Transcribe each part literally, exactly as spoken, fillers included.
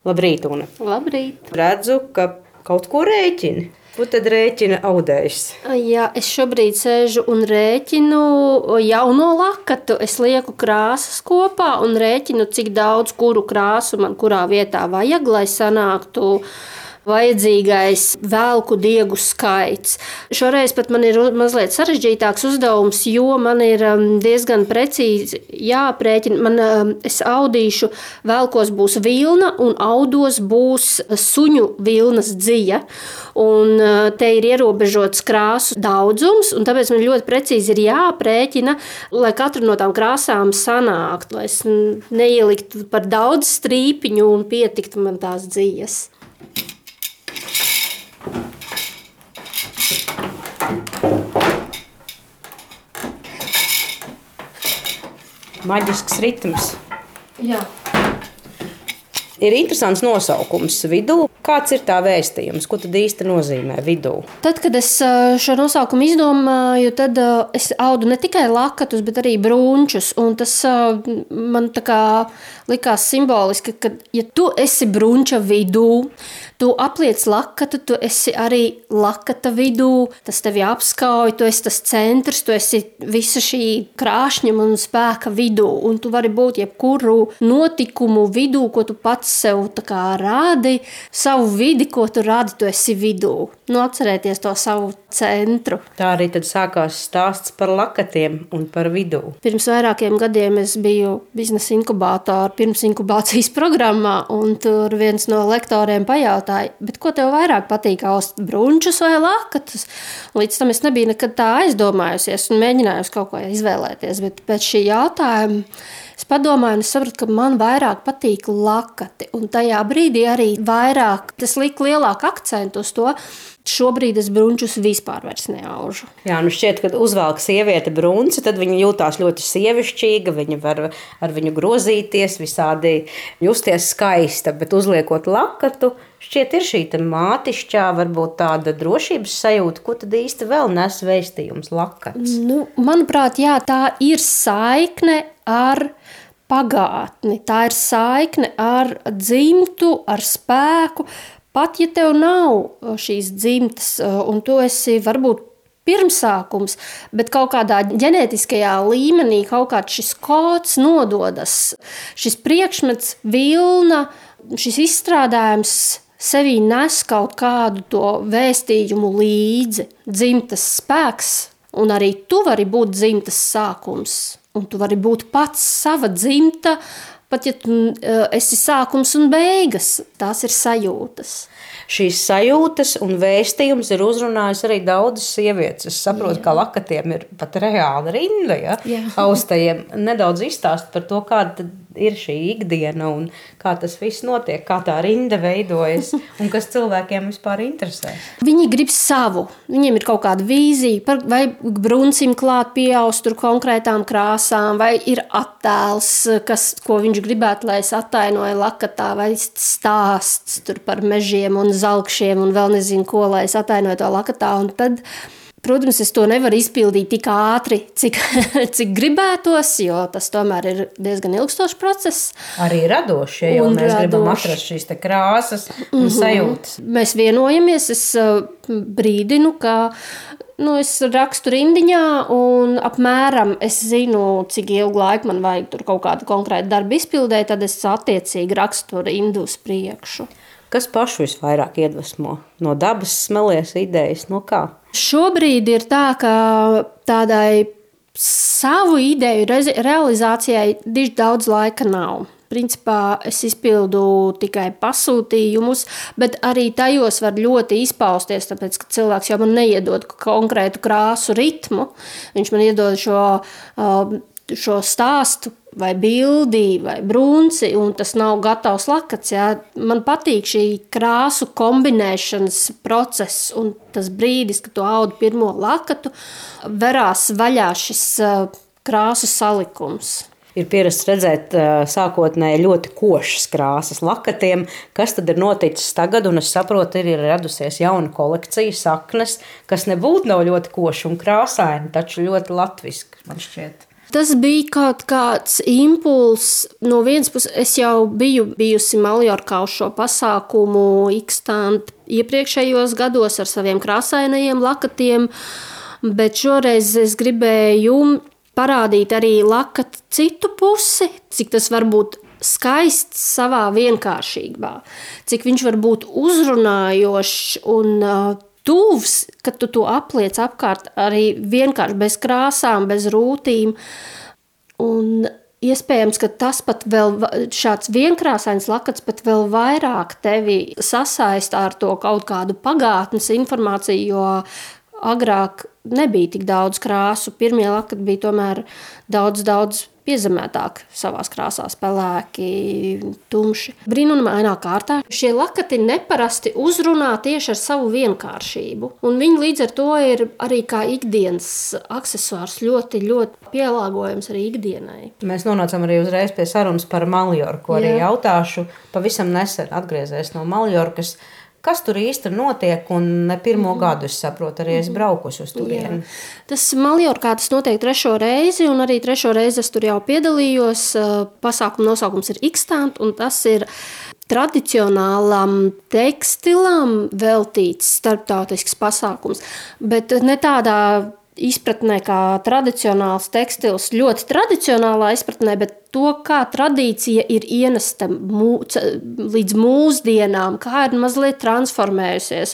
Labrīt, Una. Labrīt. Redzu, ka kaut ko rēķini. Ko tad rēķina audējs? Jā, es šobrīd sēžu un rēķinu jauno lakatu. Es lieku krāsas kopā un rēķinu, cik daudz kuru krāsu man kurā vietā vajag, lai sanāktu vajadzīgais velku diegu skaits. Šoreiz pat man ir mazliet sarežģītāks uzdevums, jo man ir diezgan precīzi jāprēķina. Man, es audīšu, velkos būs vilna un audos būs suņu vilnas dzija. Un te ir ierobežots krāsu daudzums, un tāpēc man ļoti precīzi ir jāprēķina, lai katra no tām krāsām sanāktu, lai es neieliktu par daudz strīpiņu un pietiktu man tās dzijas. Maģisks ritms. Jā. Ir interesants nosaukums vidū. Kāds ir tā vēstījums? Ko tad īsti nozīmē vidū? Tad, kad es šo nosaukumu izdomāju, tad es audu ne tikai lakatus, bet arī brunčus. Un tas man tā kā likās simboliski, ka ja tu esi brunča vidū, tu apliec lakatu, tu esi arī lakata vidū, tas tevi apskauj, tu esi tas centrs, tu esi visa šī krāšņuma un spēka vidū. Un tu vari būt jebkuru notikumu vidū, ko tu pats sev tā kā rādi, savu vidi, ko tu rādi, tu esi vidū. Nu, atcerēties to savu centru. Tā arī tad sākās stāsts par lakatiem un par vidū. Pirms vairākiem gadiem es biju biznesa inkubātora pirms inkubācijas programmā, un tur viens no lektoriem pajautāja, bet ko tev vairāk patīk, aust brunčus vai lakatus? Līdz tam es nebiju nekad tā aizdomājusies un mēģinājusi kaut ko izvēlēties, bet pēc šī jautājuma es padomāju un es sapratu, ka man vairāk patīk lakati, un tajā brīdī arī vairāk, tas lika lielāku akcentu uz to. Šobrīd es brunčus vispār vairs neaužu. Jā, nu šķiet, kad uzvelk sieviete brunci, tad viņa jūtās ļoti sievišķīga, viņa var ar viņu grozīties, visādi justies skaista, bet uzliekot lakatu, šķiet ir šī mātišķā, varbūt tāda drošības sajūta, ko tad īsti vēl nes vēstījums lakats? Nu, manuprāt, jā, tā ir saikne ar pagātni, tā ir saikne ar dzimtu, ar spēku. Pat ja tev nav šīs dzimtas un tu esi varbūt pirmsākums, bet kaut kādā ģenētiskajā līmenī kaut kāds šis kods nododas, šis priekšmets, vilna, šis izstrādājums sevī nes kaut kādu to vēstījumu līdzi, dzimtas spēks, un arī tu vari būt dzimtas sākums, un tu vari būt pats sava dzimta. Pat ja tu esi sākums un beigas, tās ir sajūtas. Šīs sajūtas un vēstījums ir uzrunājis arī daudzas sievietes. Es saprotu, jā, ka lakatiem ir pat reāla rinda, ja? Austajiem. Nedaudz izstāst par to, kāda ir šī ikdiena un kā tas viss notiek, kā tā rinda veidojas un kas cilvēkiem vispār interesē. Viņi grib savu. Viņiem ir kaut kāda vīzija, vai bruncim klāt pieaust tur konkrētām krāsām, vai ir attēls, kas, ko viņš gribētu, lai es attainoju lakatā, vai stāsts tur par mežiem un zalkšiem un vēl nezinu ko, lai es attainoju to lakatā. Un tad, protams, es to nevaru izpildīt tik ātri, cik, cik gribētos, jo tas tomēr ir diezgan ilgstošs process. Arī radošs, ja jau un mēs radoši. Gribam atrast šīs te krāsas un mm-hmm. sajūtas. Mēs vienojamies, es brīdinu, ka nu, es rakstu rindiņā un apmēram es zinu, cik ilgu laiku man vajag tur kaut kādu konkrētu darbu izpildēt, tad es attiecīgi rakstu rindu uz priekšu. Kas pašu visvairāk iedvesmo? No dabas smelies idejas, no kā? Šobrīd ir tā, ka tādai savu ideju realizācijai diži daudz laika nav. Principā es izpildu tikai pasūtījumus, bet arī tajos var ļoti izpausties, tāpēc, ka cilvēks jau man neiedod konkrētu krāsu ritmu. Viņš man iedod šo, šo stāstu vai bildi, vai brunci, un tas nav gatavs lakats. Jā. Man patīk šī krāsu kombinēšanas process, un tas brīdis, kad tu audi pirmo lakatu, verās vaļā šis krāsu salikums. Ir pierasts redzēt sākotnēji ļoti košas krāsas lakatiem. Kas tad ir noticis tagad? Un es saprotu, ir, ir radusies jauna kolekcija, saknes, kas nebūtu nav ļoti koša un krāsaini, taču ļoti latviski, man šķiet. Tas bija kaut kāds impulss. No vienas puses, es jau biju bijusi Maljorkā uz šo pasākumu ikstant iepriekšējos gados ar saviem krāsainajiem lakatiem, bet šoreiz es gribēju parādīt arī lakatu citu pusi, cik tas var būt skaists savā vienkāršībā, cik viņš var būt uzrunājošs un uh, tuvs, kad tu to apliec apkārt arī vienkārši bez krāsām, bez rūtīm. Un iespējams, ka tas pat vēl šāds vienkrāsains lakats pat vēl vairāk tevi sasaista ar to kaut kādu pagātnes informāciju, jo agrāk nebija tik daudz krāsu. Pirmie lakati bija tomēr daudz, daudz piezemētāk savās krāsās, pelēki, tumši. Brīnumainā kārtā šie lakati neparasti uzrunā tieši ar savu vienkāršību. Un viņi līdz ar to ir arī kā ikdienas aksesuārs ļoti, ļoti pielāgojams arī ikdienai. Mēs nonācam arī uzreiz pie sarunas par Maljorku. Arī Jā. Jautāšu, pavisam nesen atgriezies no Maljorkas. Kas tur īsti notiek, un ne pirmo mm. gadu, es saprotu, arī es braukusi uz turieni. Tas Maljorkā tas notiek trešo reizi, un arī trešo reizi es tur jau piedalījos. Pasākuma nosaukums ir Ikstant, un tas ir tradicionālam tekstilam veltīts starptautisks pasākums, bet ne tādā izpratnē kā tradicionāls tekstils, ļoti tradicionālā izpratnē, bet to, kā tradīcija ir ienesta mū, līdz mūsdienām, kā ir mazliet transformējusies,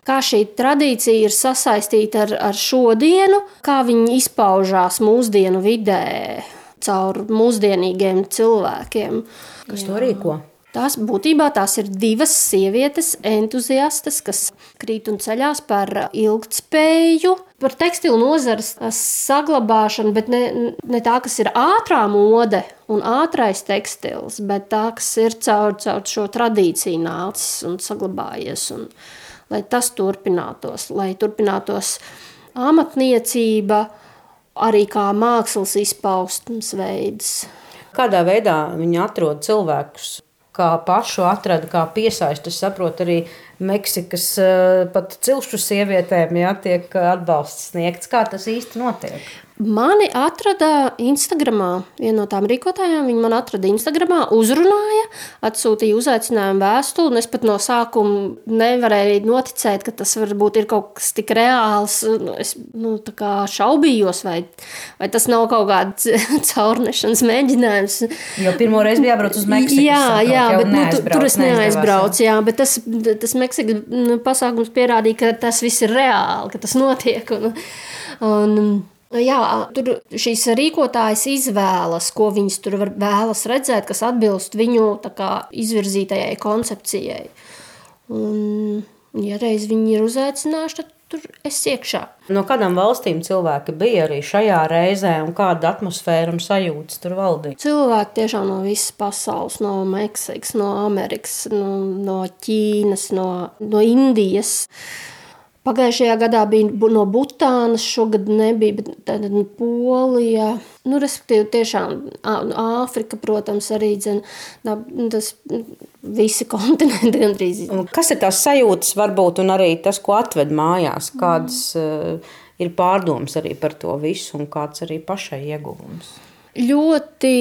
kā šī tradīcija ir sasaistīta ar, ar šodienu, kā viņi izpaužās mūsdienu vidē caur mūsdienīgiem cilvēkiem. Kas to rīko? Tās būtībā tās ir divas sievietes entuziastes, kas krīt un ceļās par ilgtspēju, par tekstilu nozares saglabāšanu, bet ne, ne tā, kas ir ātrā mode un ātrais tekstils, bet tā, kas ir caur, caur šo tradīciju nācis un saglabājies, un lai tas turpinātos, lai turpinātos amatniecība, arī kā mākslas izpaustums veids. Kādā veidā viņi atrod cilvēkus? Kā pašu atrada, kā piesaista, es saprotu, arī Meksikas pat cilšu sievietēm, jā, tiek atbalsts sniegts. Kā tas īsti notiek? Mani atrada Instagramā, viena no tām rīkotājām, viņa man atrada Instagramā, uzrunāja, atsūtīja uzaicinājumu vēstuli, un es pat no sākuma nevarēju noticēt, ka tas varbūt ir kaut kas tik reāls. Es nu, tā kā šaubījos, vai, vai tas nav kaut kāds caurnešanas mēģinājums. Jo pirmo reizi bija jābrauc uz Meksiku. Jā, saprot, jā, bet nu, tu, tur es neaizbraucu, jā, bet tas, tas Meksikas pasākums pierādīja, ka tas viss ir reāli, ka tas notiek. Un, un, Jā, tur šīs rīkotājas izvēlas, ko viņas tur vēlas redzēt, kas atbilst viņu tā kā izvirzītajai koncepcijai. Un, ja reiz viņi ir uzaicinājuši, tad tur es iekšā. No kādām valstīm cilvēki bija arī šajā reizē un kāda atmosfēra un sajūtas tur valdīja? Cilvēki tiešām no visas pasaules, no Meksikas, no Amerikas, no, no Ķīnas, no, no Indijas. Pagājušajā gadā bija no Butānas, šogad nebija, bet tāda no Polija. Nu, respektīvi, tiešām Āfrika, protams, arī dzen, tas visi kontinenti gandrīz. Kas ir tās sajūtas varbūt un arī tas, ko atved mājās? Kādas mm. uh, ir pārdomas arī par to visu un kāds arī pašai ieguvums? Ļoti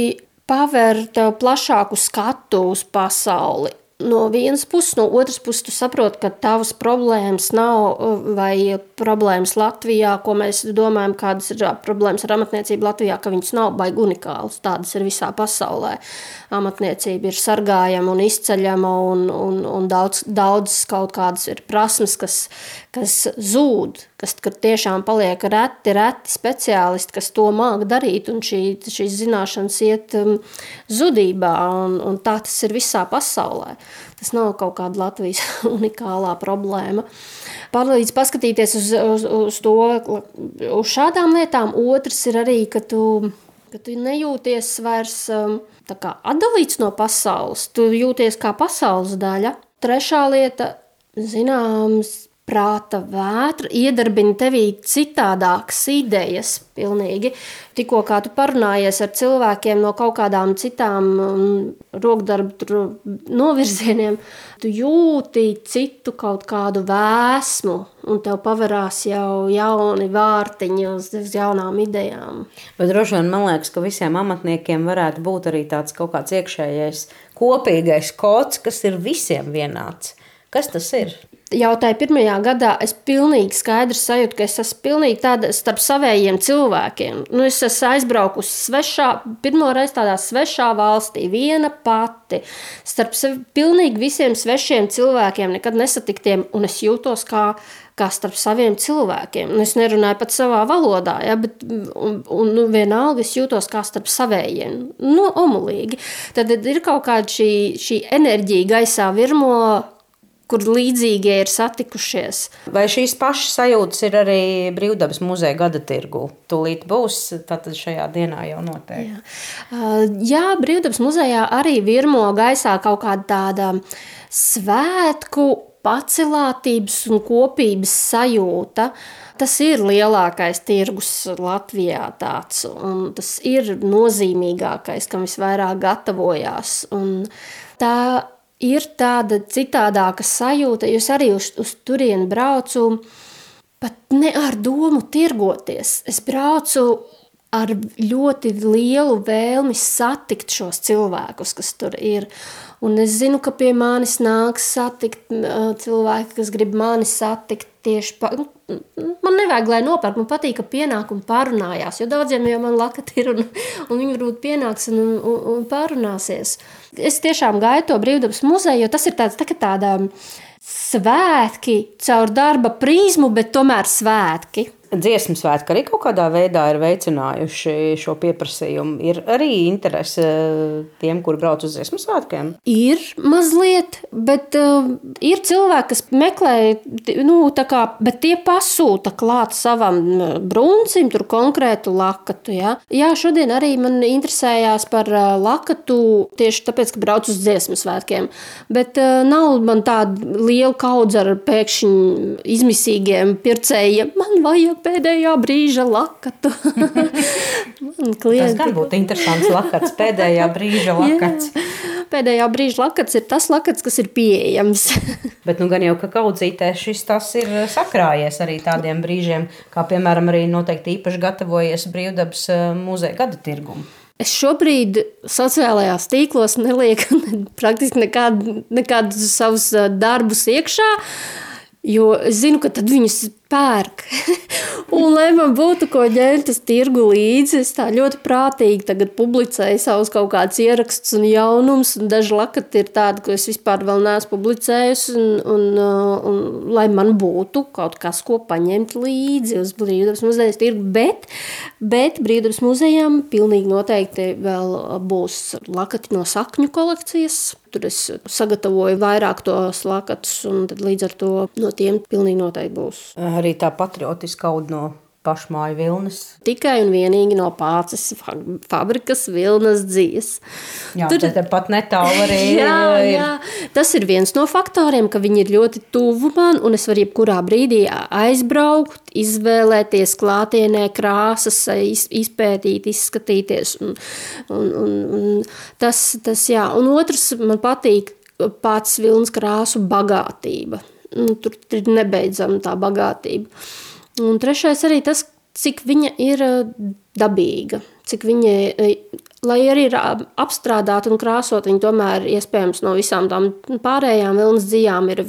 paver tev plašāku skatu uz pasauli. No vienas puses, no otras puses tu saproti, ka tavas problēmas nav vai problēmas Latvijā, ko mēs domājam, kādas ir problēmas ar amatniecību Latvijā, ka viņas nav baigi unikālas. Tādas ir visā pasaulē. Amatniecība ir sargājama un izceļama un, un, un daudz, daudz kaut kādas ir prasmes, kas, kas zūd, kas tiešām paliek reti, reti speciālisti, kas to māk darīt, un šī, šīs zināšanas iet um, zudībā, un, un tā tas ir visā pasaulē. Tas nav kaut kāda Latvijas unikālā problēma. Palīdz paskatīties uz, uz, uz to, uz šādām lietām. Otrs ir arī, ka tu, ka tu nejūties vairs um, tā kā atdalīts no pasaules. Tu jūties kā pasaules daļa. Trešā lieta, zināms, prāta vētra, iedarbina tevī citādākas idejas pilnīgi. Tikko kā tu parunājies ar cilvēkiem no kaut kādām citām um, rokdarbu novirzieniem, tu jūti citu kaut kādu vēsmu, un tev pavarās jau jauni vārtiņi uz, uz jaunām idejām. Bet droši vien man liekas, ka visiem amatniekiem varētu būt arī tāds kaut kāds iekšējais kopīgais kods, kas ir visiem vienāds. Kas tas ir? Jau tajā pirmajā gadā es pilnīgi skaidri sajūtu, ka es esmu pilnīgi tāda starp savējiem cilvēkiem. Nu, es esmu aizbraukusi svešā, pirmo reizi tādā svešā valstī, viena pati, starp sevi, pilnīgi visiem svešiem cilvēkiem, nekad nesatiktiem, un es jūtos kā, kā starp saviem cilvēkiem. Un es nerunāju pat savā valodā, ja, bet un, un, nu, vienalga es jūtos kā starp savējiem. Nu, omulīgi. Tad ir kaut kāda šī, šī enerģija gaisā virmo, kur līdzīgie ir satikušies. Vai šīs pašas sajūtas ir arī Brīvdabas muzeja gada tirgu? Tūlīt būs, tātad šajā dienā jau noteikti. Jā, Jā Brīvdabas muzejā arī virmo gaisā kaut kāda tāda svētku, pacelātības un kopības sajūta. Tas ir lielākais tirgus Latvijā tāds, un tas ir nozīmīgākais, kam visvairāk gatavojās. Un tā ir tāda citādāka sajūta, jo es arī uz, uz turieni braucu pat ne ar domu tirgoties. Es braucu ar ļoti lielu vēlmi satikt šos cilvēkus, kas tur ir. Un es zinu, ka pie manis nāks satikt cilvēki, kas grib mani satikt tieši pa... Man nevajag, lai nopērk, man patīk, ka pienāk un pārunājās, jo daudziem jau man lakati ir un, un viņi varbūt pienāks un, un, un pārunāsies. Es tiešām gaidu to Brīvdabas muzeju, jo tas ir tāds, tā, tāda svētki caur darba prizmu, bet tomēr svētki. Dziesmu svētki arī kaut kādā veidā ir veicinājuši šo pieprasījumu. Ir arī interese tiem, kur brauc uz dziesmu svētkiem? Ir mazliet, bet uh, ir cilvēki, kas meklē, nu, tā kā, bet tie pasūta klāt savam bruncim, tur konkrētu lakatu, ja? Jā, šodien arī man interesējās par uh, lakatu tieši tāpēc, ka brauc uz dziesmu svētkiem, bet uh, nav man tāda liela kaudze ar pēkšņi izmisīgiem pircējiem. Man vajag pēdējā brīža lakatu. Tas gan būtu interesants lakats, pēdējā brīža lakats. Jā, pēdējā brīža lakats ir tas lakats, kas ir pieejams. Bet nu gan jau, ka kaudzītē šis tas ir sakrājies arī tādiem brīžiem, kā piemēram arī noteikti īpaši gatavojies Brīvdabas muzeja gada tirgumu. Es šobrīd sociālajās tīklos nelieku praktiski nekādu, nekādus savus darbus iekšā, jo es zinu, ka tad viņus pērk. Un, lai man būtu ko ņemt uz tirgu līdzi, es tā ļoti prātīgi tagad publicēju savus kaut kādus ierakstus un jaunumus, un daži lakati ir tādi, ko es vispār vēl neesmu publicējusi, un, un, un, un lai man būtu kaut kas, ko paņemt līdzi uz Brīvdabas muzejas tirgu, bet, bet Brīvdabas muzejām pilnīgi noteikti vēl būs lakati no sakņu kolekcijas. Tur es sagatavoju vairāk tos lakatus, un tad līdz ar to no tiem pilnīgi noteikti būs. Arī tā patriotiska auda no pašmāju vilnas. Tikai un vienīgi no Pāces fabrikas vilnas dzijas. Jā, Tur... tad pat netālu arī jā, ir. Jā, tas ir viens no faktoriem, ka viņi ir ļoti tuvu man, un es varu jebkurā brīdī aizbraukt, izvēlēties klātienē krāsas, izpētīt, izskatīties. Un, un, un, un tas, tas, jā. Un otrs, man patīk Pāces vilnas krāsu bagātība. Tur ir nebeidzama tā bagātība. Un trešais arī tas, cik viņa ir dabīga, cik viņa, lai arī ir apstrādāta un krāsot, viņa tomēr iespējams no visām tām pārējām vilnas dzijām ir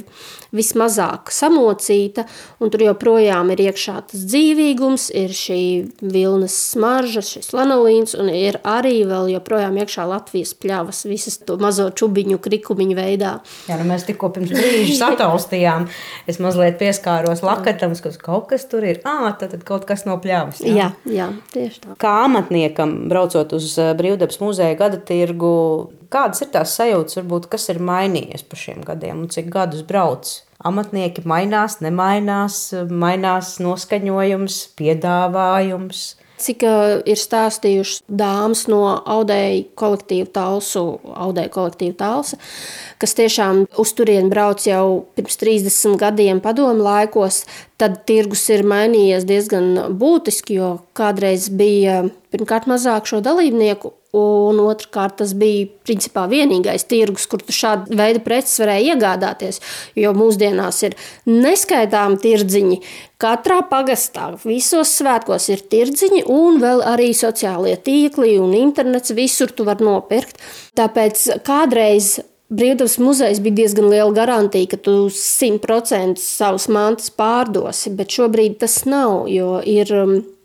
vismazāk samocīta, un tur joprojām ir iekšā tas dzīvīgums, ir šī vilnas smarža, šis lanolīns, un ir arī vēl joprojām iekšā Latvijas pļavas, visas to mazo čubiņu, krikumiņu veidā. Jā, nu mēs tikko pirms brīža sataustījām. Es mazliet pieskāros lakatam, ka kaut kas tur ir. Ā, tad kaut kas no pļavas. Jā, jā, jā tieši tā. Kā amatniekam, braucot uz Brīvdabas muzeja gada tirgu, kādas ir tās sajūtas, varbūt, kas ir mainījies pa šiem gadiem un cik gadus brauc? Amatnieki mainās, nemainās, mainās noskaņojums, piedāvājums. Cik uh, ir stāstījušas dāmas no audēju kolektīva Talsu, audēju kolektīva Talsa, kas tiešām uz turieni brauc jau pirms trīsdesmit gadiem padomu laikos, tad tirgus ir mainījies diezgan būtiski, jo kādreiz bija pirmkārt mazāk šo dalībnieku, un otrkārt tas bija principā vienīgais tirgus, kur tu šādu veidu preces varēja iegādāties, jo mūsdienās ir neskaitāmi tirdziņi. Katrā pagastā visos svētkos ir tirdziņi un vēl arī sociālie tīkli un internets, visur tu var nopirkt. Tāpēc kādreiz Brīvdabas muzejs bija diezgan liela garantija, ka tu simt procentu savus mantas pārdosi, bet šobrīd tas nav, jo ir...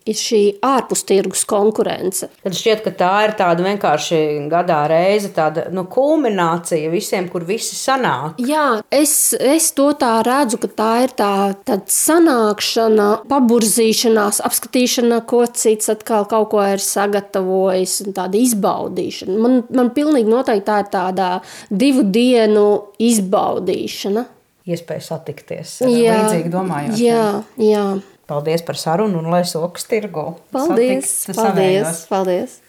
ir šī ārpus tirgus konkurence. Tad šķiet, ka tā ir tāda vienkārši gadā reize, tāda nu, kulminācija visiem, kur visi sanāk. Jā, es, es to tā redzu, ka tā ir tā tāda sanākšana, paburzīšanās, apskatīšana, ko cits atkal kaut ko ir sagatavojis, un tāda izbaudīšana. Man, man pilnīgi noteikti tā ir tāda divu dienu izbaudīšana. Iespēja satikties ar līdzīgi domājošiem. Jā, jā. Paldies par sarunu un lai sokas tirgu. Paldies, Satikt paldies, paldies.